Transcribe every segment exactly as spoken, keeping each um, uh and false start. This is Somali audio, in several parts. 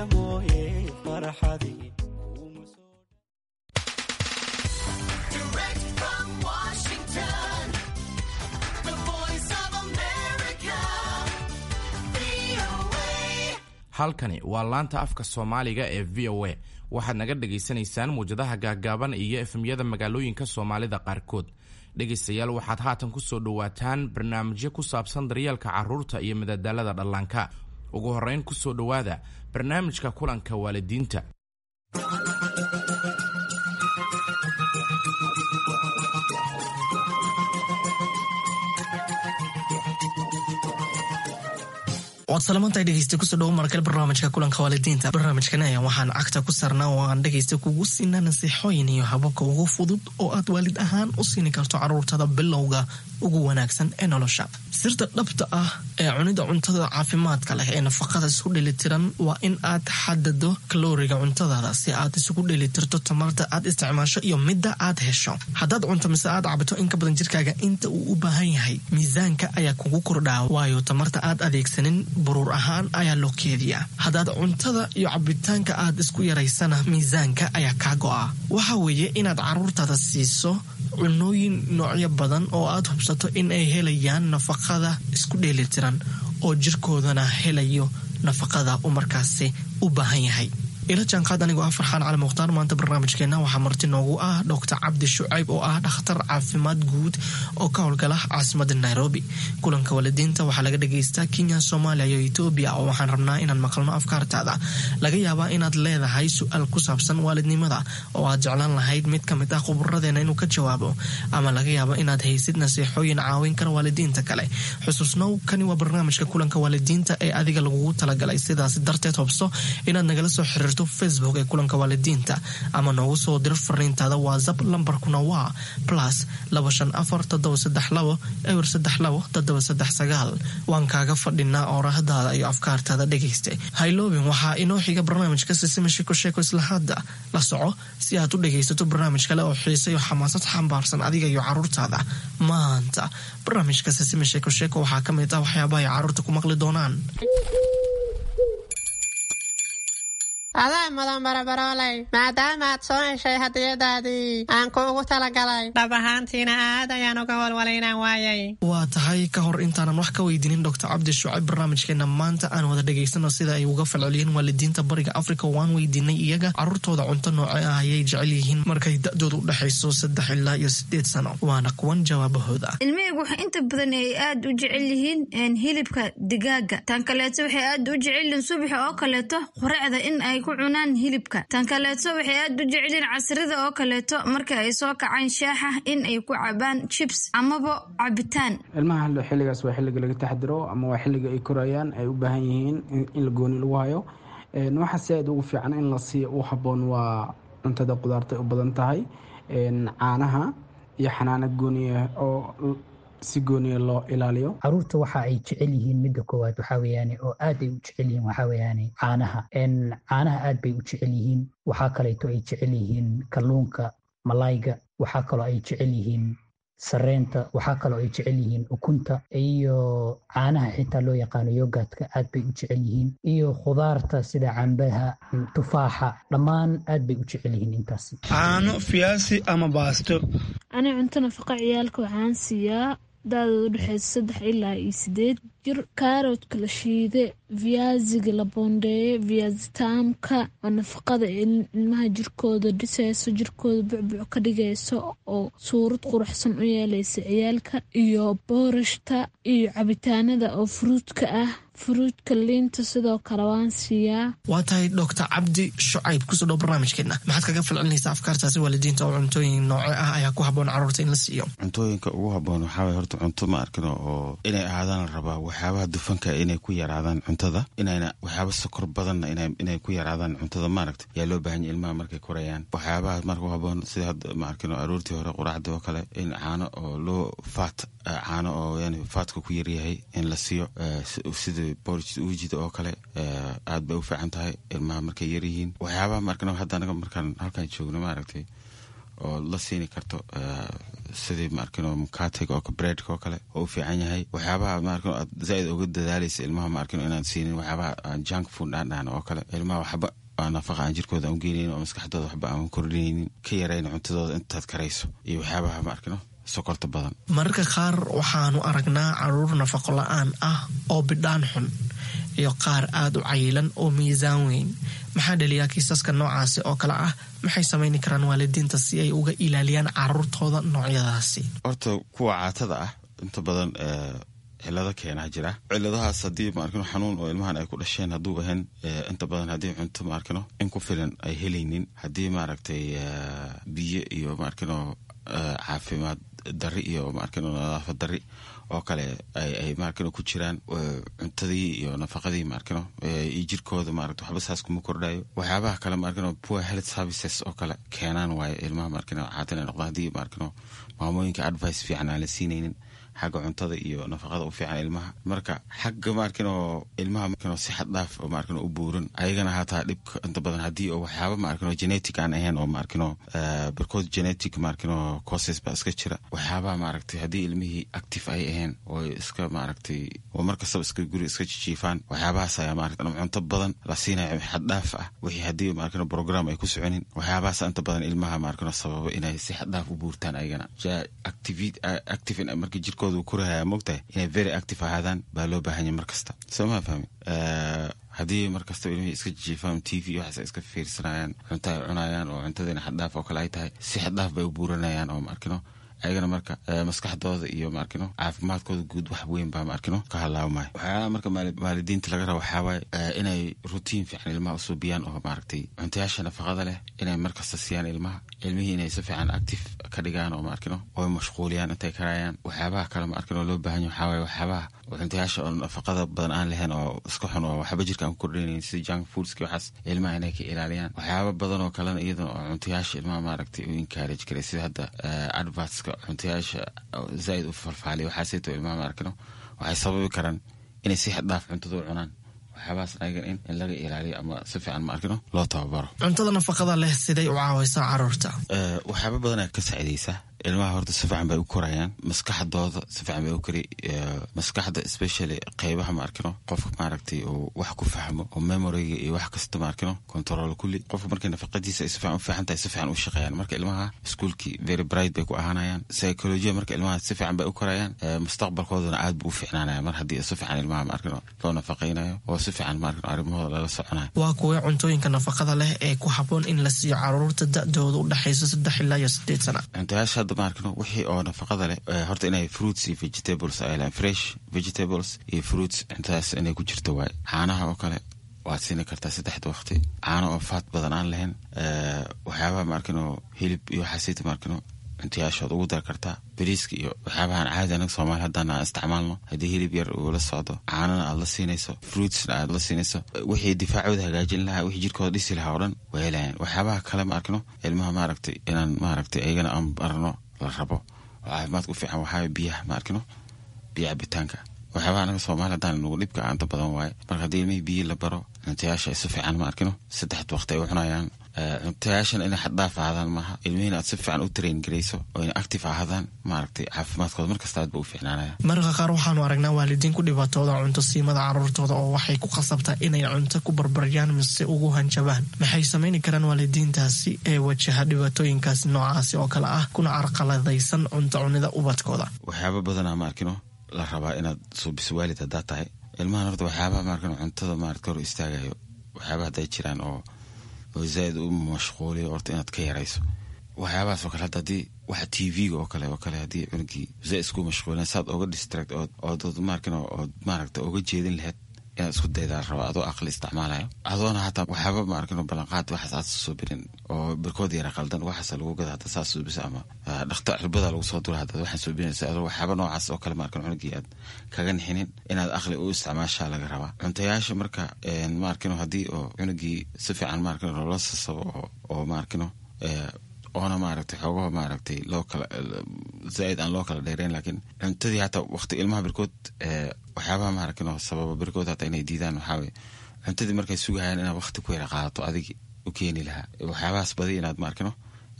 Dhibta mooye farxadii. Direct from Washington, the Voice of America, V O A. Halkani waa laanta afka Soomaaliga ee V O A. Waxaad naga dhagaysanaysaan muwjadaha gaagaaban iyo F M-yada magaalooyinka Soomaalida qaarkood. Dhegaystayaal, waxaad haatan ku soo dhowaataan barnaamijyo ku saabsan daryeelka carruurta iyo madadaalada dhallaanka. Ugu horrayn, ku soo dhowaada barnaamijka kulanka waalidiinta. Waad salamantahay, dhegeysta. Kusoo dhawo markale barnaamijka kulanka waalidiinta. Barnaamijkan ayaa waxaan cagta ku saarnaa oo aan dhegeysta kugu siinaa nasiixooyin iyo hababka ugu fudud oo aad waalid ahaan u siini karto caruurtada bilowga ugu wanaagsan ee nolosha. Sirta dhabta ah ee cunida cuntada caafimaadka leh ee nafaqada isku dheelitiran waa in aad xadado kalooriga cuntadaada si aad isugu dheelitirto tamarta aad isticmaasho iyo midda aad hesho. Haddaad cunto mise aad cabto in ka badan jirkaaga inta uu u baahan yahay, miisaanka ayaa kugu kordhaa, waayo tamarta aad adeegsanin buruur ahaan ayaa loo keediyaa. Haddaad cuntada iyo cabitaanka aad isku yaraysana, miisaanka ayaa kaa go'a. Waxa weeye inaad caruurtaada siiso cunooyin noocyo badan oo aad hubsato in ay helayaan nafaqada isku dheelitiran oo jirkoodana helayo nafaqada uu markaasi u baahan yahay. Ila jaanqaad anigoo ah Farxaan Cali Mukhtaar. Maanta barnaamijkeena waxaa marti noogu ah Doctor Cabdi Shucayb oo ah dhakhtar caafimaad guud oo ka howlgala caasimada Nairobi. Kulanka waalidiinta waxaa laga dhagaystaa Kenya, Soomaaliya iyo Etoobiya, oo waxaan rabnaa inaan maqalno afkaartaada. Laga yaabaa inaad leedahay su-aal ku saabsan waalidnimada oo aad jeclaan lahayd mid ka mid ah khuburadeena inuu ka jawaabo, ama laga yaabo inaad haysid nasiixooyin caawin kara waalidiinta kale. Xusuusnow, kani waa barnaamijka kulanka waalidiinta ee adiga lagugu talagalay. Sidaas darteed, hubso inaad nagala soo xiriirto Facebook ee kulanka waalidiinta ama noogu soo diro fariintaada WhatsApp. Lambarkuna waa plus laba shan afar toddoba saddex labo eber saddex labo toddoba saddex sagaal. Waan kaaga fadhinaa oorahdaada iyo afkaartaada, dhegayste. Hayloobin, waxaa inoo xiga barnaamijka Sisima Sheeko Sheeko. Isla hadda la soco si aad u dhegaysato barnaamij kale oo xiise iyo xamaasad xambaarsan adiga iyo caruurtaada. Maanta barnaamijka Sisima Sheeko Sheeko waxaa ka mid ah waxyaabaha ay caruurta ku maqli doonaan. Adaa mudan, barabarooley, maadaama aad soo heshay hadiyadaadii aan kuugu talagalay. Dhab ahaantiina aad ayaan uga walwalay inaan waayay. Waa tahay. Ka hor intaanan wax ka weydiinin Doctor Cabdi Shucayb barnaamijkeena maanta, aan wada dhegaysano sida ay uga falceliyeen waalidiinta Bariga Africa. Waan weydiinay iyaga caruurtooda cunto nooce ah ayay jecel yihiin markay da-doodu u dhexayso saddex ilaa iyo sideed sano. Waana kuwan jawaabahooda. Ilmahaygu waxay inta badan ay aad u jecel yihiin hilibka digaaga. Tan kaleeto, waxay aad u jecel yihiin subaxa oo kaleeto quraacda in ay ku cunaan hilibka. Tan kaleeto, waxay aad u jecel yihiin casrida oo kaleeto marka ay soo kacaan shaaxa in ay ku cabaan chips amaba cabitaan. Ilmaha xilligaas waa xilliga laga taxdiro ama waa xilliga ay korayaan, ay u baahan yihiin in la gooni lagu hayo. Waxa si aad ugu fiican in la siiyo u habboon waa cuntada qudaarta u badan tahay, caanaha iyo xanaano gooniya oo si gooniya loo ilaaliyo. Caruurta waxa ay jecel yihiin, midda koowaad waxaa weeyaane oo aad ay u jecel yihiin, waxaa weeyaane caanaha. Caanaha aad bay u jecel yihiin. Waxaa kaleeto ay jecel yihiin kalluunka, malayga. Waxaa kaloo ay jecel yihiin sareenta. Waxaa kaloo ay jecel yihiin ukunta iyo caanaha xitaa loo yaqaano yogurtka, aad bay u jecel yihiin, iyo khudaarta sida cambaha, tufaaxa, dhammaan aad bay u jecel yihiin intaasi. Caano, fiyaasi ama baasto. Ani cunto nafaqa ciyaalka waxaan siiyaa da-dooda udhexeysa saddex ilaa iyo sideed jir kaaroodka la shiide, viyaasiga la boondeeye, viyaasitaamka oo nafaqada ilmaha jirkooda dhiseyso, jirkooda bucbuc ka dhigayso oo suurad quruxsan u yeeleysa ciyaalka, iyo boorashta iyo cabitaanada oo fruitka ah, fruitka, liinta sidoo kale waan siiyaa. Waa tahay. Doctor Cabdi Shucayb, kusoo dhow barnaamijkeena. Maxaad kaga falcelinaysaa afkaartaasi waalidiinta oo cuntooyin nooce ah ayaa ku habboon caruurta in la siiyo? Cuntooyinka ugu habboon waxaa waye horta cunto ma arkino oo inay ahaadaan la rabaa waxyaabaha dufanka inay ku yaraadaan cuntada, inayna waxyaaba sokor badanna inay ku yaraadaan cuntada, maaragta, yaa loo baahan yahy ilmaha markay korayaan. Waxyaabaha marka u habboon sida hadda ma arkino aroortii hore quraacda oo kale in caano oo loo faat, caano oo yani faatka ku yaryahay in la siiyo, sida porridge uujida oo kale, aad bay u fiican tahay ilmaha markay yaryihiin. Waxyaabaha ma arkino hadda anaga markaan halkaan joogno, maaragtay, oo la siini karto, sidii maarkino mukatega oo breadka oo kale oo u fiican yahay. Waxyaabaha maarkino aad zaaid uga dadaalaysa ilmaha maarkino inaad siinin, waxyaabaha aan junk food aan dhahno oo kale, ilmaha waxba nafaqa aan jirkooda aan ugeynayn oo maskaxdooda waxba aan kordhinaynin, ka yarayn cuntadooda intaad karayso, iyo waxyaabaha maarkino sokorta badan. Mararka qaar waxaanu aragnaa caruur nafaqo la-aan ah oo bidhaan xun iyo qaar aada u cayilan oo miisaan weyn. Maxaa dhaliyaa kiisaska noocaasi oo kale ah? Maxay samayni karaan waalidiinta si ay uga ilaaliyaan caruurtooda noocyadaasi? Horta kuwa caatada ah inta badan cilado keenaa jira. Ciladahaas haddii maarkino xanuun oo ilmahan ay ku dhasheen hadduu ahayn, inta badan haddii cunto maarkino in ku filan ay helaynin, haddii maaragtay biyo iyo maarkino caafimaad dari iyo maarkino nadaafad dari oo kale ay maarkino ku jiraan, cuntadii iyo nafaqadii maarkino iyo jirkooda maaragta waxba saas kuma kordhayo. Waxyaabaha kale maarkino poor health services oo kale keenaan waaye ilmaha maarkino caatan ay noqdaan, haddii maarkino maamooyinka advice fiican aan la siinaynin xagga cuntada iyo nafaqada u fiican ilmaha. Marka xagga maarkino ilmaha maarkino si xad dhaaf oo maarkino u buuran, ayagana hataa dhibka inta badan haddii oo waxyaaba maarkino genetic aan ahayn oo maarkino barkood genetic maarkino causes baa iska jira. Waxyaabaha maaragtay haddii ilmihii active ay ahayn oo iska maaragtay oo mar kastaba iska guri iska jijiifaan, waxyaabahaas ayaa maaragtay ama cunto badan la siinayo xad dhaaf ah, wixii haddii maarkino program ay ku soconin, waxyaabahaas inta badan ilmaha maarkino sababa inay si xad dhaaf u buurtaan. Ayagana active marka jirkooda uu korahaya, mogtahay inay very active ahaadaan baa loo baahan yahay mar kasta, soo maa fahmi? Haddii mar kastaba ilmihii iska jiifaan, T V waxaas ay iska fiirsanayaan, cunto ay cunayaan oo cuntadiina xaddhaaf oo kale ay tahay, si xaddhaaf bay u buuranayaan oo maarkino ayagana marka maskaxdooda iyo maarkino caafimaadkooda guud wax weyn baa maarkino ka halaawmaya. Waxyaalaha marka waalidiinta laga raba waxaa waaye inay routine fiican ilmaha usuubiyaan oo maaragtay cuntayaasha nafaqada leh inay markasta siiyaan ilmaha, ilmihii inay si fiican active ka dhigaan oo maarkino oo mashquuliyaan intay karayaan. Waxyaabaha kale maarkino loo baahan yahay waxaa waaye waxyaabaha cuntayaasha oo nafaqada badan aan lahayn oo iska xun oo waxba jirka aan ku kordhinaynin, sida junk foodski, waxaas ilmaha inay ka ilaaliyaan. Waxyaaba badan oo kalena iyadana oo cuntayaasha ilmaha maaragtay u encourage karay, sida hadda advertska cuntayaasha zaaid u falfaaliya, waxaasayto ilmaha maarkino waxay sababi karaan inay si xad dhaaf cuntada u cunaan. Waxyaabahaas ayagan in in laga ilaaliyo ama si fiican maarkino loo tababaro. Cuntada nafaqada leh siday u caawaysaa caruurta? Waxyaaba badanaa ka saacidaysa ilmaha. Horta si fiican bay u korayaan, maskaxdooda si fiican bay u kori, maskaxda especially qeybaha maarkino qofka maaragtay uu wax ku fahmo oo memoryga iyo wax kasta maarkino control kulli. Qofka markay nafaqadiisa ay si fiican u fiican tahay, si fiican u shaqeeyaan. Marka ilmaha iskuulkii very bright bay ku ahaanayaan, psychology marka ilmaha si fiican bay u korayaan, mustaqbalkoodana aad buu u fiicnaanaya mar haddii si fiican ilmaha maarkino loo nafaqaynayo oo si fiican maarkino arrimahooda lala soconayo. Waa kuwee cuntooyinka nafaqada leh ee ku habboon in la siiyo caruurta da-dooda u dhexayso saddex ilaa iyo sideed sana? Cuntayaasha hadda maarkino wixii oo nafaqada leh, horta inay fruits iyo vegetables ay lehan, fresh vegetables iyo fruits, cuntadaas inay ku jirto waaye. Caanaha oo kale waad siini kartaa saddexda waqti, caano oo faat badan aan lahayn. Waxyaabaha maarkino hilib iyo waxaasayta maarkino cuntayaashood ugu dar kartaa, bariiska iyo waxyaabahan caadi anaga Soomaali haddaan aan isticmaalno. Haddii hilib yar uu la socdo, caanana aad la siinayso, fruitsna aad la siinayso, wixii difaacooda hagaajin lahaa, wixii jirkooda dhisi lahaa oo dhan way helayaan. Waxyaabaha kale ma arkino ilmaha maaragtay inaan maaragtay ayagana aan barno la rabo oo caafimaadka u fiican waxaa biyaha ma arkino, biyo cabitaanka. Waxyaabaha anaga Soomaali haddaan nagu dhibka aanta badan waaye. Marka haddii ilmihii biyo la baro, cuntayaasha ay si fiican ma arkino saddexda waqti ay u cunayaan, cuntayaashan inay xaddhaaf ahaadaan maaha, ilmihiina aad si fiican u train garayso oo inay active ahaadaan, maaragtay caafimaadkooda markasta aad ba u fiicnaanaya. Mararka qaar waxaanu aragnaa waalidiin ku dhibaatooda cunto siimada caruurtooda oo waxay ku khasabtaa inay cunto ku barbaryaan mise ugu hanjabaan. Maxay samayni karaan waalidiintaasi ee wajaha dhibaatooyinkaasi noocaasi oo kale ah kuna carqaladaysan cunto cunida ubadkooda? Waxyaaba badanaa ma arkino la rabaa inaad suubiso waalid haddaad tahay ilmahan. Horta waxyaabaha maarkino cuntada maarata hor istaagayo, waxyaabaha hadday jiraan oo oo zaaid u mashquuliyo, horta inaad ka yarayso waxyaabahaas oo kale. Hadda haddii waxa T V-ga oo kale oo kale haddii cunugii zaaid isku mashquulin, saad oga distract ood ood maarkino ood maaragta oga jeedin lahayd inaad isku daydaa raba, adoo aqli isticmaalayo, adoona hataa waxyaaba maarkino ballanqaad waxaas aad suubirin oo barkood yara qaldan waxaas lagu gada hadda saas suubisa ama dhakta cirbada lagu soo dura haddaad waxaan suubinaysa, adoo waxyaaba noocaas oo kale maarkino cunugii aad kaga nixinin, inaad aqli u isticmaashaa laga rabaa cuntayaasha. Marka maarkino haddii oo cunugii si fiican maarkino loola sasabo oo oo maarkino oona maaragtay xoogaha maaragtay loo kala zaaid aan loo kala dheereyn, laakiin cuntadii hataa waqti ilmaha barkood waxyaabaha maaragtay sababa barkood hataa inay diidaan waxaa waye cuntadii markay sugahayaan inaad waqti ku yara qaadato adig u keeni lahaa, waxyaabahaas badi inaad maarkino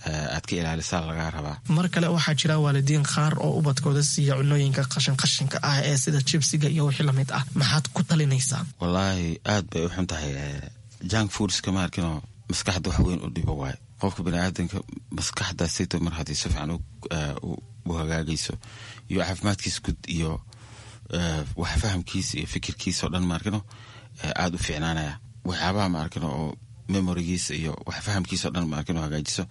aad ka ilaalisaa lagaa rabaa. Mar kale waxaa jira waalidiin qaar oo ubadkooda siiya cunooyinka qashin qashinka ah ee sida jibsiga iyo wixii lamid ah. Maxaad ku talinaysaa? Wallaahi aad bay u xun tahay junk foodska, ma arkinoo, maskaxda wax weyn u dhibo waayo. Qofka baniaadanka maskaxdaasayto mar haddii si fiican u hagaagayso iyo caafimaadkiisa gud iyo wax fahamkiisa iyo fikirkiisa oo dhan, ma arkino, aada u fiicnaanaya. Waxyaabaha, ma arkino, oo memorigiisa iyo wax fahamkiisa o dhan, ma arkino, hagaajiso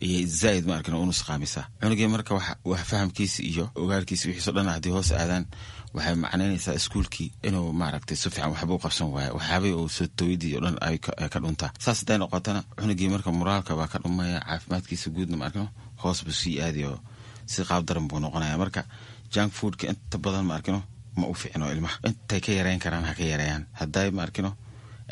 iyo zaaid, ma arkino, u nusqaamisa cunugii. Marka wax fahamkiisa iyo ogaalkiisa wixiiso dhan haddii hoos aadaan, waxay macnaynaysaa iskuulkii inuu maaragtay si fiican waxba u qabsan waayo, waxyaabihii uu soo tooyadii o dhan ay ka dhuntaa. Saas hadday noqotana cunugii marka moraalka baa ka dhumaya, caafimaadkiisa guudna, ma arkino, hoos buu sii aadayo, si qaab daran buu noqonaya. Marka junk foodka inta badan, ma arkino, ma u fiicno ilmaha. Intay ka yareyn karaan ha ka yareeyaan. Hadday, ma arkino,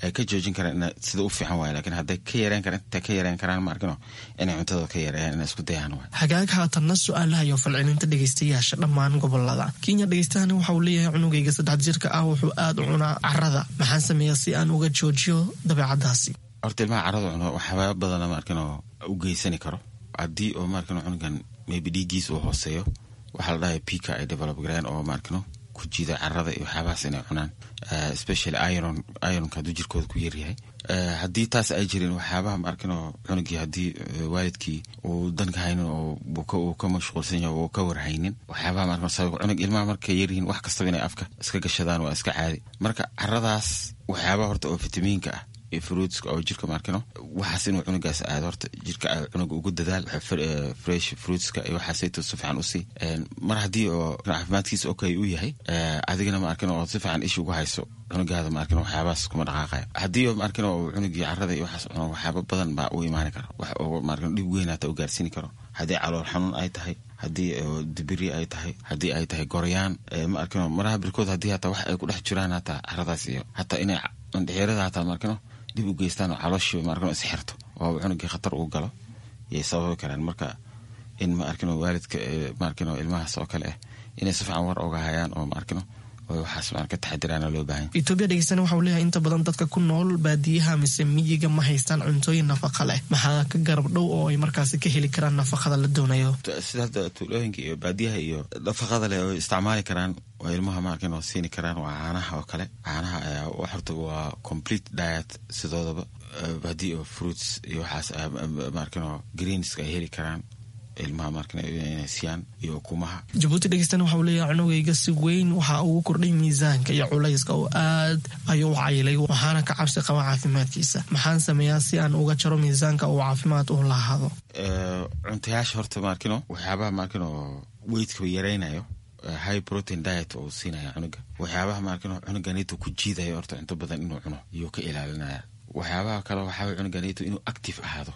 ay ka joojin karaan sida u fiican waay, lakiin hadday ka yareyn karaan, intay ka yareyn karaan, ma arkino, inay cuntada ka yareeyaan, inay isku dayaan waay. Hagaag, haatanna su-aalaha iyo falcelinta dhegeystayaasha dhammaan gobolada Kenya. Dhegeystahani waxa uu leeyahay: cunugayga saddex jirka ah wuxuu aada u cunaa carada, maxaan sameeyaa si aan uga joojiyo dabeecadaasi? Horta ilmaha carada cuno waxyaaba badana, ma arkino, u geysani karo. Haddii oo, ma arkino, cunugan maybe dhiiggiis uu hooseeyo, waxaa la dhahay pica ay develop gareen oo, ma arkino, ku jiida carada iyo waxyaabahaas inay cunaan, especially iron. Ironka hadduu jirkooda ku yaryahay, haddii taas ay jirin, waxyaabaha, ma arkino, cunugii haddii waalidkii uu danka haynin oo uu ka mashquulsan yahay oo ka warhaynin waxyaabaha, ma arkino, sabab cunug ilmaha markay yaryihiin wax kastaba inay afka iska gashadaan waa iska caadi. Marka caradaas waxyaabaha horta oo fitamiinka ah iyo fruitska oo jirka, ma arkino, waxaas inuu cunugaas aado horta jirka cunuga ugu dadaal fresh fruitska iyo waxaasayto si fiican usii. Mar haddii oo caafimaadkiisa okay u yahay, adigana, ma arkino, oo si fiican ish ugu hayso cunugaada, ma arkino, waxyaabahaas kuma dhaqaaqaya. Haddii oo, ma arkino, oo cunugii carada iyo waxaas cuno, waxyaaba badan baa u imaani kara, wax oo, ma arkino, dhib weyn hata u gaarsiini karo. Haddii calool xanuun ay tahay, haddii dibiri ay tahay, haddii ay tahay goryaan, ma arkino, maraha birkood haddii hataa wax ay ku dhex jiraan hataa caradaas iyo hataa inay mandhixirada hataa, ma arkino, dib u geystaan oo calooshii, ma arkino, isxirto oo cunugii khatar uu galo yay sababi karaan. Marka in, ma arkino, waalidka, ma arkino, ilmahaas oo kale ah inay si fiican war oga hayaan oo, ma arkino, oo waxaas ma ka taxadiraana loo baahan. Etoobiya dhegeystana waxa uu leeyahay: inta badan dadka ku nool baadiyaha mise miyiga ma haystaan cuntooyin nafaqa leh, maxaa ka garab dhow oo ay markaasi ka heli karaan nafaqada la doonayo? Sida hadda tuulooyinka iyo baadiyaha iyo nafaqada leh oo isticmaali karaan oo ilmaha, ma arkin, oo siini karaan waa caanaha oo kale. Caanaha ayaa horta waa complete diet sidoodaba. Haddii oo fruits iyo waxaas, ma arkin, oo greenska ay heli karaan ilmaha, ma arkin, inay siiyaan iyo ukumaha. Jabuuti dhegeystana waxa uu leeyahay: cunugayga si weyn waxa ugu kordhay miisaanka iyo culayska oo aad ayuu u cayilay, waxaana ka cabsi qaba caafimaadkiisa. Maxaan sameeyaa si aan uga jaro miisaanka uu caafimaad u lahaado? Cuntayaasha horta, ma arkino, waxyaabaha, ma arkino, weightka yaraynayo, high protein diet oo siinaya cunuga. Waxyaabaha, ma arkino, cunuganito ku jiidayo horta cunto badan inuu cuno iyuu ka ilaalinaya. Waxyaabaha kale waxaa cunuganito inuu active ahaado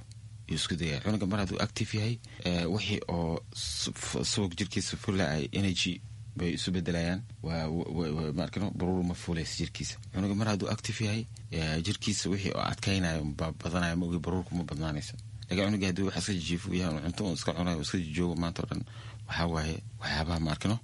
yuu isku dayaya. Cunuga mar hadduu active yahay, wixii oo subag jirkiisa fula ay energy bay isu bedelayaan, ma arkino, baruur ma fuulaysa jirkiisa. Cunuga mar hadduu active yahay, jirkiisa wixii oo adkaynayo baa badanaya, ma ogi, baruurku ma badnaanayso. Lakin cunuga haddii wax iska jijiifo yahay, cunto uu iska cunayo, iska jijoogo maanta o dhan, waxaa waaye waxyaabaha, ma arkino,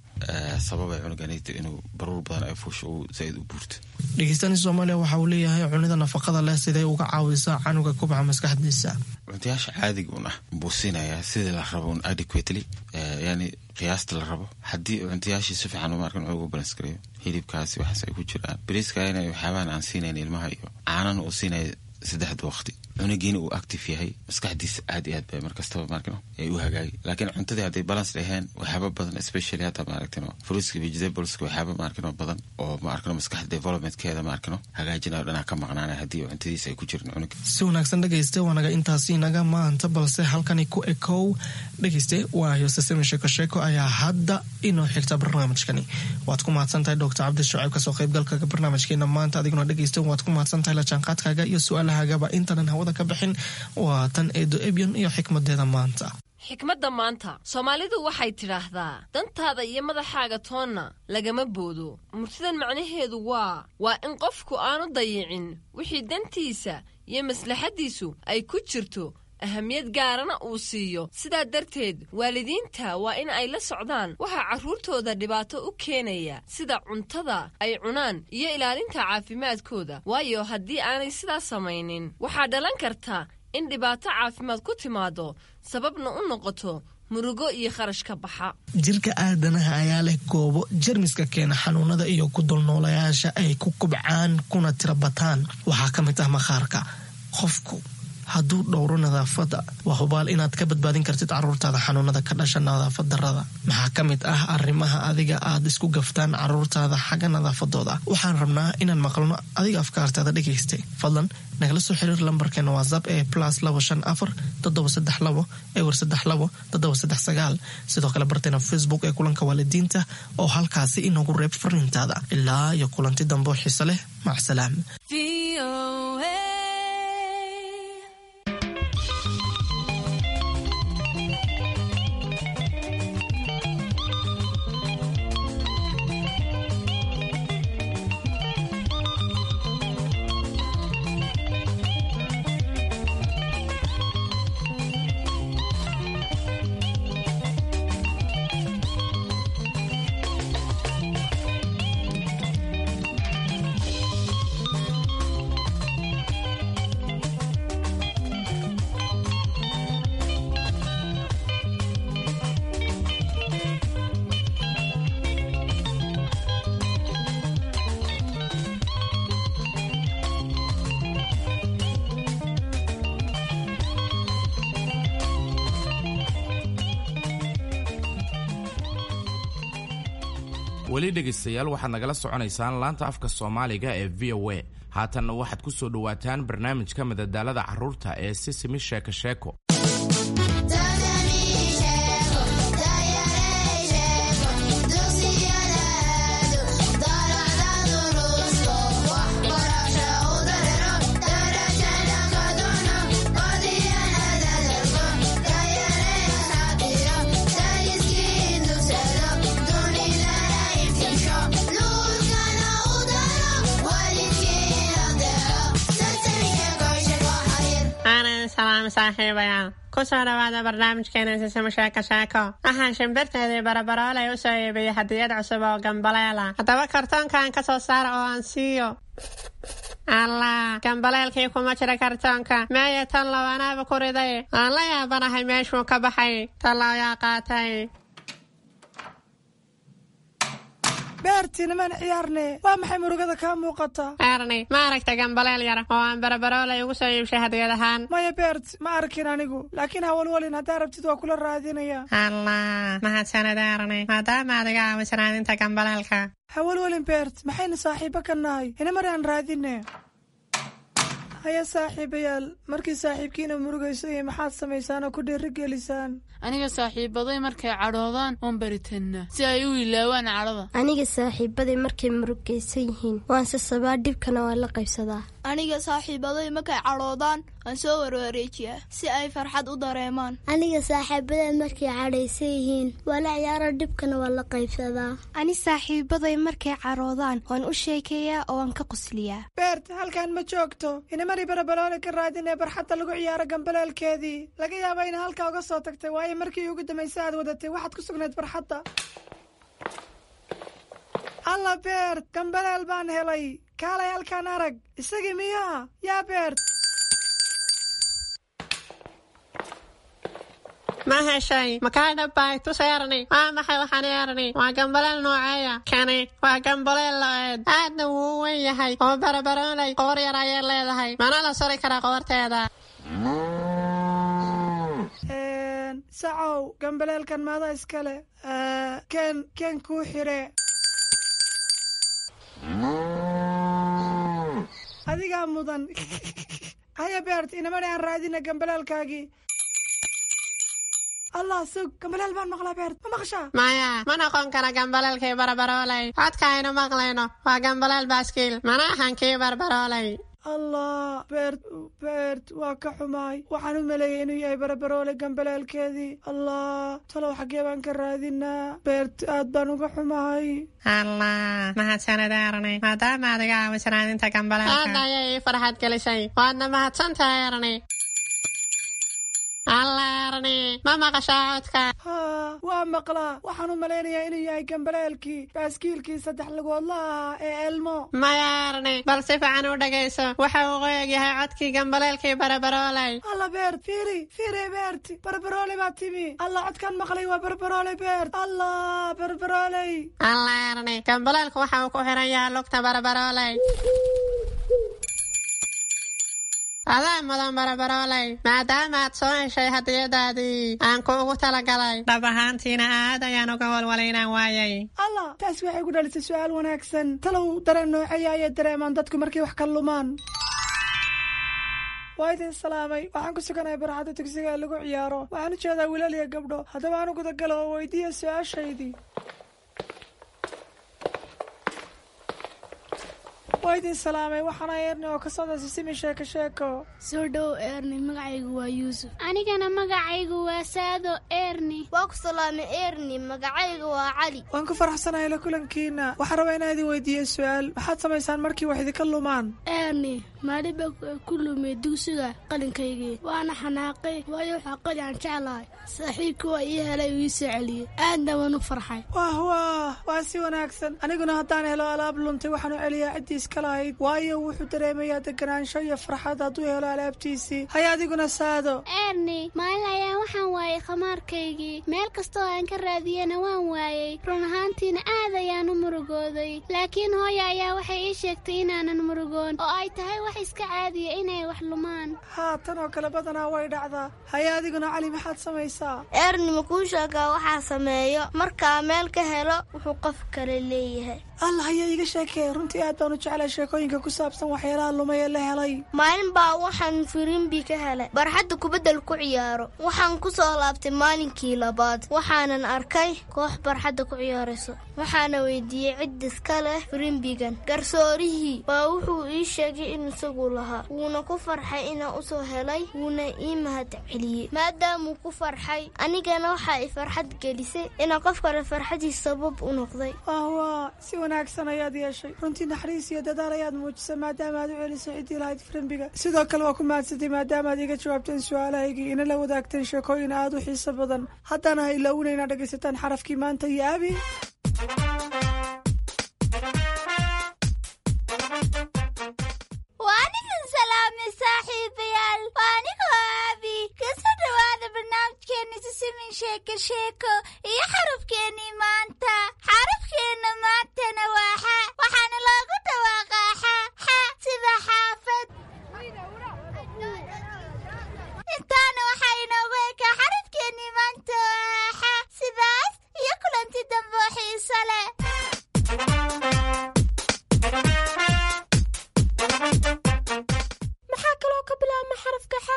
sababay cunuganito inuu baruur badan ay fuusho uu zaaid u buurto. Dhegeystani Soomaaliya waxa uu leeyahay: cunida nafaqada leh sidee uga caawisaa canuga kubca maskaxdiisa? Cuntayaasha caadiga un ah buu siinayaa sidii la rabo un adequately, yani qiyaasta la rabo. Haddii cuntayaashii si fiican, ma arkin, ugu balance gareeyo, hilibkaasi waxaas ay ku jiraan, bariiska inay waxyaabahan aan siinayn ilmaha iyo caanana uu siinaya saddexda waqti, cunugiina uu active yahay, maskaxdiisa aad iyo aad bay markastaba, maarkino, ay u hagaagi. Laakiin cuntadii hadday balance dhaheen, waxyaaba badan, especially hadda, maaragtino, fruitska, vegetables, waxyaaba, maarkino, badan oo, maarkino, maskaxda developmentkeeda, maarkino, hagaajinayo dhanaa ka maqnaanay haddii cuntadiisa ay ku jirin cunuga. Si wanaagsan dhegayste, waanaga intaasi naga maanta, balse halkani ku ekow dhegayste, waayo sesemi sheeko sheeko ayaa hadda inoo xigta barnaamijkani. Waad ku mahadsantahay Doctor Cabdi Shucayb kasoo qaybgalka barnaamijkeena maanta. Adiguna dhegayste waad ku mahadsantahay la jaanqaadkaaga iyo su-aalahagaba. Intaanan hawada ka bixin, waa tan Eedo Ebyon iyo xikmadeeda maanta. Xikmadda maanta, Soomaalidu waxay tidhaahdaa: dantaada iyo madaxaaga toonna lagama boodo. Murtidan macnaheedu waa waa in qofku aanu dayicin wixii dantiisa iyo maslaxaddiisu ay ku jirto, ahamiyad gaarana uu siiyo. Sidaa darteed waalidiinta waa in ay la socdaan waxaa carruurtooda dhibaato u keenaya, sida cuntada ay cunaan iyo ilaalinta caafimaadkooda, waayo haddii aanay sidaas samaynin waxaa dhalan karta in dhibaato caafimaad ku timaado, sababna u noqoto murugo iyo kharash ka baxa. Jirka aadanaha ayaa leh goobo jermiska keena xanuunada iyo ku dulnoolayaasha ay ku kubcaan kuna tira bataan. Waxaa ka mid ah maqaarka. Qofku hadduu dhowro nadaafadda, waa hubaal inaad ka badbaadin kartid caruurtaada xanuunada ka dhasha nadaafad darada. Maxaa ka mid ah arrimaha adiga aad isku gaftaan caruurtaada xagga nadaafadooda? Waxaan rabnaa inaan maqalno adiga afkaartaada dhegaystay. Fadlan nagala soo xiriir lambarkeena WhatsApp ee plus labo shan afar toddoba saddex labo ewer saddex labo toddoba saddex sagaal. Sidoo kale barteena Facebook ee Kulanka Waalidiinta oo halkaasi inoogu reeb fariintaada. Ilaa iyo kulanti dambe oo xiise leh, macsalaam. Weli dhegaystayaal, waxaad nagala soconaysaan laanta afka Soomaaliga ee V O A. Haatanna waxaad ku soo dhowaataan barnaamijka madadaalada carruurta ee Sisimi Sheeko Sheeko. Aanan salaam saaxiibayaal, kusoo dhawaada barnaamijkeena Sisimo Sheeko Sheeko. Waxaan shimbirteedii Barabaroolay u soo iibiyey hadiyad cusub oo gambaleela. Haddaba kartoonkan ka soo saara oo aan siiyo. Allah, gambaleelkii kuma jira kartoonka. Meeya tan lawanaaba ku riday? Aan la yaabanahay meeshuu ka baxay. Tan ayaa qaatay. Beertiina maan ciyaarne, waa maxay murugada kaa muuqata? Erni, ma aragta gambaleel yar oo aan Barabaroolay ugu soo iibshay hadiyad ahaan? Maya Beert, ma arkin anigu, laakiin hawalwalin, haddaa rabtid waa kula raadinaya. Allah, mahadsanid Erni, maadaama aad iga caawisan raadinta gambaleelka. Hawalwalin Beert, maxaynu saaxiibo ka nahay? Ina mar aan raadine. Haya saaxiibayaal, markii saaxiibkiina murugayso iyo maxaad samaysaan oo ku dhiirigelisaan? Aniga saaxiibaday markay cadhoodaan waan baritannaa si ay u ilaawaan cadhada. Aniga saaxiibaday markay murugaysan yihiin waan sasabaa, dhibkana waan la qaybsadaa. Aniga saaxiibaday markay cadhoodaan waan soo warwareejiyaa si ay farxad u dareemaan. Aniga saaxiibaday markay cadhaysan yihiin waa la ciyaaro, dhibkana waan la qaybsadaa. Ani saaxiibaday markay cadhoodaan waan u sheekeeyaa oo waan ka qosliyaa. Beert, halkan ma joogto. Inamari Barabaloole ka raadinee barxadda lagu ciyaaro gambaleelkeedii. Laga yaaba ina halkaa uga soo tagtay, waayo markii ugu dambaysa aad wadatay waxaad ku sugnayd barxadda. Alla Beert, gambaleel baan helay. Kaalay halkaan arag. Isagii miyaa yaa Beert? Ma heshay? Makaa dhabbay? Tus Erni. Waa maxay waxaan Erni? Waa gambaleel nooceeya kani? Waa gambaleel lo'eed, aadna wuu u weyn yahay oo Barabaroolay qoor yar ayay leedahay, mana la suri karaa qoorteeda. Sacow, gambaleelkan maada iskale? Ken ken kuu xire. Adigaa mudan. Haya Beert, inamani aan raadina gambaleelkaagii. Allah, sug, gambaleel baan maqlaa. Beert, ma maqashaa? Maya, ma noqon kara gambaleelkii Barabaroolay. Codka aynu maqlayno waa gambaleel baaskiil, mana ahan kii Barbaroolay. Allah Beert, Beert, waa ka xumaay. Waxaan u maleeyay inuu yahay Barabaroole gambaleelkeedii. Allah, talow xaggee baan ka raadinaa? Beert, aad baan uga xumahay. Allah, mahadsanid Erni, maadaama aad iga caawisan raadinta gambaleelka. Aad ayay ii farxad gelisay, waadna mahadsantahay Erni. Allah. Erni, ma maqashaa codka? Haa, waa maqlaa. Waxaan u malaynayaa inuu yahay gambaleelkii baaskiilkii saddex lugoodla ahaa ee Elmo. Maya Erni, bal si fiican u dhegayso. Waxa uu qoyag yahay codkii gambaleelkii Barabarooley. Alla Beert, fiiri fiiri Beert, Barbarooley baa timi. Alla, codkan maqlay waa Barbarooley Beert. Alla, Barbarooley. Alla Erni, gambaleelku waxa uu ku xiran yahay lugta Barabarooley. Adaa mudan Barabarooley, maadaama aad soo heshay hadiyadaadii aan kuugu talagalay. Dhab ahaantiina aad ayaan uga walwalay inaan waayay. Alla, taas waxay ku dhalisay su-aal wanaagsan. Talow dareen nooceeya ayay dareemaan dadku markay wax ka lumaan? Waa idin salaamay. Waxaan ku suganahay barxadda dugsiga ee lagu ciyaaro. Waxaan u jeedaa wiilal iyo gabdho. Haddaba aan u gudagalo oo weydiiya su-aashaydii. Waa idin salaamay. Waxaana Erni oo ka socda Sisimi Sheeko Sheeko. Soo dhow Erni, magacaygu waa Yuusuf. Anigana magacaygu waa Saado Erni. Waa ku salaamay Erni, magacayga waa Cali. Waan ku faraxsanahay la kulankiina. Waxaan rabaa inaan idin weydiiyo su-aal. Maxaad samaysaan markii wax idinka lumaan? Erni, maalin baa ku lumay dugsiga qalinkaygii, waana xanaaqay, waayo waxaa qalin aan jeclahay. Saaxiibkii waa ii helay uu ii soo celiyey, aadna waan u farxay. Wah wah, waa si wanaagsan. Aniguna haddaan helo alaab luntay, waxaan u celiyaa ciddii iska lahayd, waayo wuxuu dareemayaa deganaansho iyo farxad hadduu helo alaabtiisii. Haya adiguna Saado. Erni, maalin ayaan waxaan waayay khamaarkaygii. Meel kastoo aan ka raadiyena waan waayey. Run ahaantiina aad ayaan u murugooday, laakiin hooya ayaa waxay ii sheegtay inaanan murugoon oo ay tahay wax iska caadiya inay wax lumaan. Haa, tan oo kale badanaa way dhacdaa. Haya adiguna Cali, maxaad samaysaa? Erni, ma kuu sheegaa waxaa sameeyo markaa meel ka helo wuxuu qof kale leeyahay? Alla, haya iiga sheekee. Runtii aad baan u jeclay sheekooyinka ku saabsan waxyaalaha lumay ee la helay. Maalin baa waxaan firimbi ka helay barxadda kubaddal ku ciyaaro. Waxaan ku soo laabtay maalinkii labaad, waxaanan arkay koox barxadda ku ciyaarayso. Waxaana weydiiyey cid iska leh firimbigan. Garsoorihii baa wuxuu ii sheegay in isagu lahaa, wuuna ku farxay inaan usoo helay, wuuna ii mahad celiyey. Maadaamuu ku farxay, anigana waxaa i farxad gelisay inaan qof kale farxadiis sabab u noqday. Wah, si wanaagsan ayaad yeeshay. Runtii naxariis iyo dadaal ayaad muujisay maadaama aad u celisay ciddii lahayd firimbiga. Sidoo kale waa ku mahadsantay maadaama aad iga jawaabteen su-aalahaygii, ina la wadaagteen sheekooyin aad u xiiso badan. Haddana ha ilaawina inaad dhegaysataan xarafkii maanta iyo Abi. Waan idin salaamay saaxiibayaal. Waa anigoo Aabi. Kasoo dhawaada barnaamijkeena Sisimin Sheeko Sheeko iyo xarafkeennii maanta. Xarafkeenna maantana waa xa, waxaana loogu dhawaaqaa xa xa sida xaafad. Intaana waxaa inoogu ekaa xarafkeennii maanta oo ah xa. Sidaas iyo kulanti dambe oo xiiso leh. Maxaa kaloo ka bilaabma xarafka xa?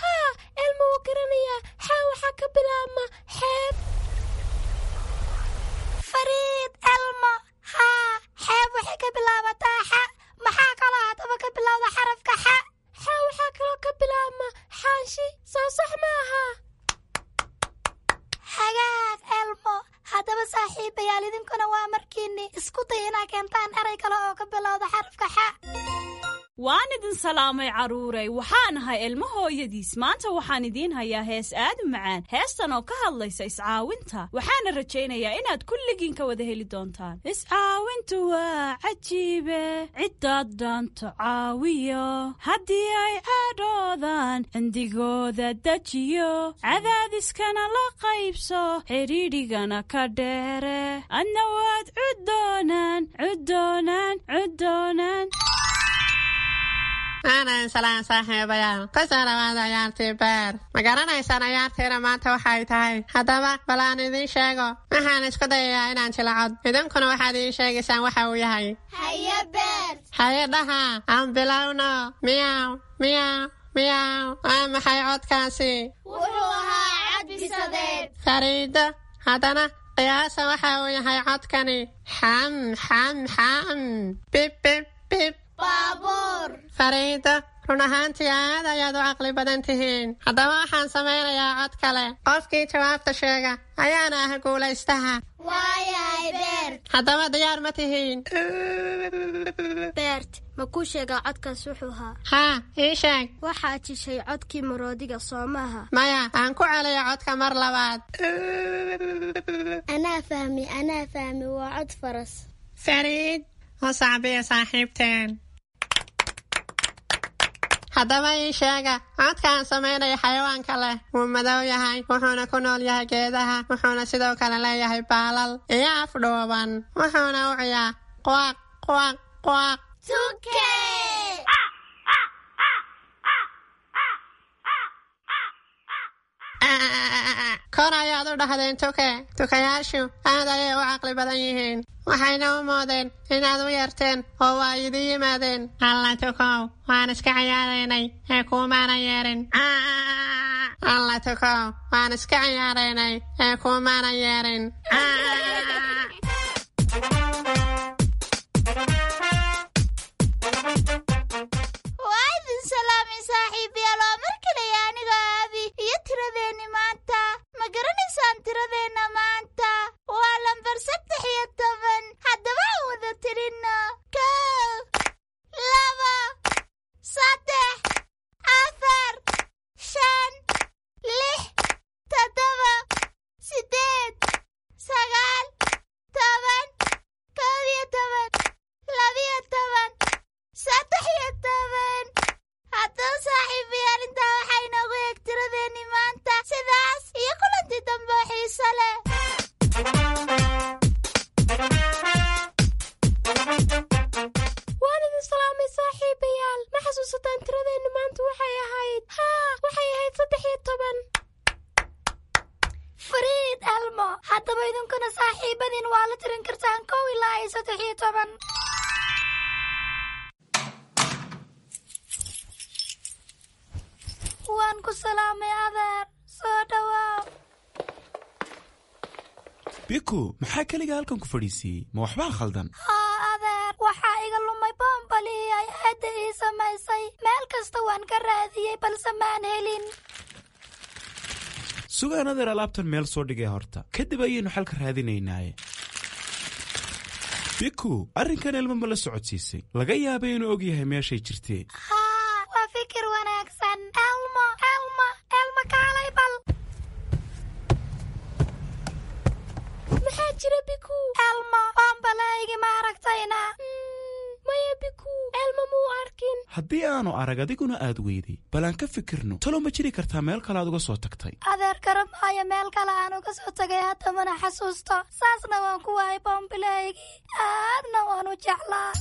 Haa, Elmo wuu garanayaa. Xa waxaa ka bilaabma xeeb. Fariid Elmo, haa, xeeb waxay ka bilaabataa xa. Maxaa kaloo haddaba ka bilowda xarafka xa? Xa waxaa kaloo ka bilaabma xaanshi. Soo sax maaha? Hagaag Elmo. Haddaba saaxiibayaal, idinkuna waa markiinni isku day inaa keentaan eray kale oo ka bilowda xarafka xa. Waan idin salaamay carruuray. Waxaan ahay Ilmo hooyadiis. Maanta waxaan idiin hayaa hees aad u macaan, heestan oo ka hadlaysa iscaawinta. Waxaana rajaynayaa inaad kulligiin ka wada heli doontaan. Iscaawintu waa cajiibe, ciddaad dhaanto caawiyo, haddii ay cadhoodaan cindigooda dejiyo, cadaadiskana la qaybso, xidhiidhigana ka dheere, adna waad cuddoonaan cuddoonaan cuddoonaan. Aanan salaan saaxiibayaal. Kusoo dhawaada ciyaartii beer. Ma garanaysaan ciyaartiina maanta waxay tahay? Haddaba bal aan idiin sheego. Waxaan isku dayayaa inaan jilacod, idinkuna waxaad ii sheegaysaan waxa uu yahay. Haye Beer. Haye dhaha. Aan bilowno. Miyaw miyaw miyaw. Waa maxay codkaasi? Wuxuu ahaa cad bisadeed. Fariido, haddana qiyaasa waxa uu yahay codkani. Xam xam xam, bib bib bib. Baabuur. Fariido, Run ahaantii aad ayaad u caqli badan tihiin. Haddaba waxaan samaynayaa cod kale. Qofkii jawaabta sheega ayaana ah guulaystaha. Waayahay Beert. Haddaba diyaar ma tihiin? Beert, ma kuu sheegaa codkaas wuxuu ahaa? Haa, ii sheeg. Waxaad jishay codkii maroodiga, soo maaha? Maya, aan ku celiyo codka mar labaad. Anaa fahmi, anaa fahmi, waa cod faras. Fariid, u sacbiya saaxiibteen. Haddaba ii sheega codka aan samaynayo xayawaanka leh. Wuu madow yahay, wuxuuna ku nool yahay geedaha, wuxuuna sidoo kale leeyahay baalal iyo af dhuuban, wuxuuna u ciyaa quaq quaq quaq. Tuke! Kor ayaad u dhahdeen tuke. Tukayaashu aad ayay u caqli badan yihiin, waxayna u moodeen inaad u yeerteen oo waa idin yimaadeen. Alla tukow, waan iska ciyaaraynay ee kuumaanan yeerin. Alla tukow, waan iska ciyaaraynay ee kuumaanan yeerin. Waa idin salaamay saaxiibayaal, waa mar kale aniga Aabi iyo tiradeenni maanta. Ma garanaysaan tiradeenna maanta? Waa lambar saddex iyo toban. Haddaba aan wada tirinno: kow, laba, saddex, afar, shan, lix, toddoba, siddeed, sagaal, toban, kow iyo toban, labiyo toban, saddex iyo toban. Haddaba saaxiibayaal, intaa waxaa inoogu eeg tiradeenni maanta. Sidaas iyo kulantii dambe oo xiiso leh. Waan idin salaamay saaxiibayaal. Ma xasuusataan tiradeennu maanta waxay ahayd? Haa, waxay ahayd saddex iyo toban. Fariid, Elmo, haddaba idinkuna saaxiibadiin waa la tirin kartaan kow ilaa iyo saddex iyo toban. Waan ku salaamay adeer, soo dhawaaw. Biku, maxaa keliga halkan ku fadhiisiiyey? Ma waxbaa khaldan? Haa adeer, waxaa iga lumay boombalihii ay aadda ii samaysay. Meel kasta waan ka raadiyey balse maan helin. Sugaan adeer, alaabtan meel soo dhigay horta, kadib ayaynu xalka raadinaynaaye. Biku, arrinkan ilmo ma la socodsiisay? Laga yaabay inuu og yahay meeshay jirtee. Haa, waa fikir wanaagsan. Elmo, Elmo, Elmo, kaalay bal. Maxaa jira Biku? Elmo, boombalahaygi ma aragtayna? Maya Biku, Elmo muu arkin. Haddii aanu arag adiguna aad weyday, bal aan ka fikirno. Talo ma jiri kartaa meel kale aad uga soo tagtay? Adeer, garan maayo meel kale aan uga soo tagay, hadda mana xasuusto. Saasna waan ku waayay boombilahaygii, aadna waan u jeclaa.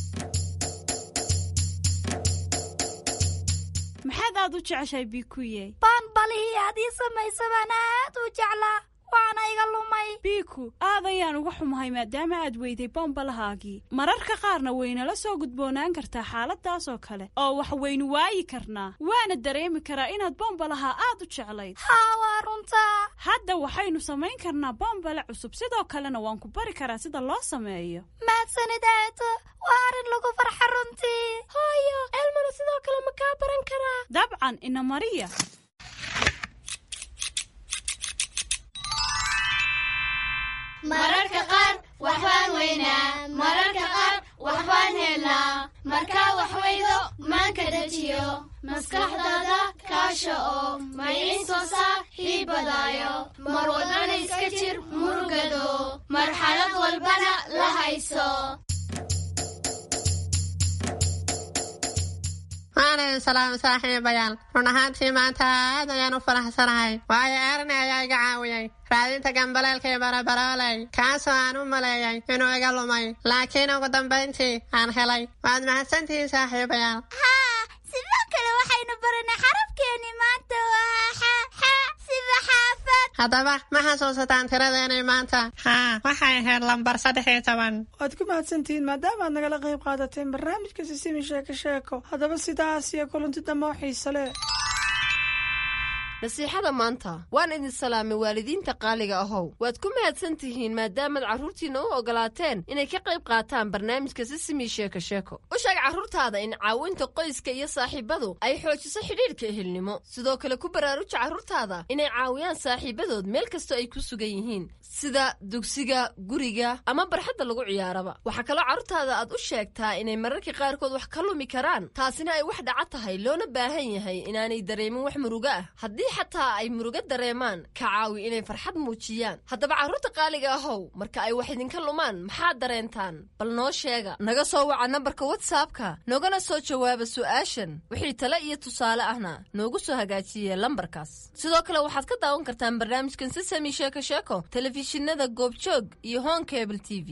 Maxaad aad u jeceshahay Bikuye? Boonbalihii aad ii samaysa baan aad u jeclaa, waana iga lumay. Biku, aad ayaan uga xumahay maadaama aad weyday bombalahaagii. Mararka qaarna waynala soo gudboonaan kartaa xaaladaas oo kale, oo wax waynu waayi karnaa. Waana dareemi karaa inaad bombalaha aad u jeclayd. Haa, waa runtaa. Hadda waxaynu samayn karnaa bombale cusub, sidoo kalena waan ku bari karaa sida loo sameeyo. Mahadsanid aato, waa arrin lagu farxa runtii. Hooyo, Elmona sidoo kale ma kaa baran karaa? Dabcan, ina mariya. Mararka qaar waxbaan weynaa, mararka qaar waxbaan helnaa. Markaa wax weydo maanka dejiyo, maskaxdaada kaasha oo maciin soo saaxiibadaayo. Mar walbana iska jir murugado, marxalad walbana la hayso. Waan idin salaamay saaxiibayaal. Run ahaantii maanta aad ayaan u faraxsanahay, waayo Erni ayaa iga caawiyey raadinta gambaleelkii barabarooley, kaasoo aan u maleeyay inuu iga lumay, laakiin ugu dambayntii aan helay. Waad mahadsantihiin saaxiibayaal. Haa, sidoo kale waxaynu baranay xarafkeenni maanta waa xa, xa sida xaafad. Haddaba ma xasuusataan tiradeenii maanta? Haa, waxay ahayd lambar saddex iyo toban. Waad ku mahadsantihiin maadaama aad nagala qayb qaadateen barnaamijka Sisimi Sheeko Sheeko. Haddaba sidaas iyo kulanti dambe oo xiise leh. Nasiixada maanta. Waan idin salaamay, waalidiinta qaaliga ahow. Waad ku mahadsan tihiin maadaamaad carruurtiinna u ogolaateen inay ka qayb qaataan barnaamijka Sisimi Sheeko Sheeko. U sheeg carruurtaada in caawinta qoyska iyo saaxiibadu ay xoojiso xidhiidhka ehelnimo. Sidoo kale ku baraaruja carruurtaada inay caawiyaan saaxiibadood meel kastoo ay ku sugan yihiin, sida dugsiga, guriga ama barxadda lagu ciyaaraba. Waxaa kaloo carruurtaada aad u sheegtaa inay mararka qaarkood wax ka lumi karaan, taasina ay wax dhaca tahay, loona baahan yahay inaanay dareemin wax murugo ah. Haddii xataa ay murugo dareemaan, ka caawi inay farxad muujiyaan. Haddaba carruurta qaaliga ahow, marka ay wax idinka lumaan maxaad dareentaan? Bal noo sheega. Naga soo waca nambarka WhatsAppka, noogana soo jawaaba su'aashan. Wixii tale iyo tusaale ahna noogu soo hagaajiye lambarkaas. Sidoo kale waxaad ka daawan kartaan barnaamijkan Sisami Sheeko Sheeko telefishinada Goobjoog iyo Horn Cable T V.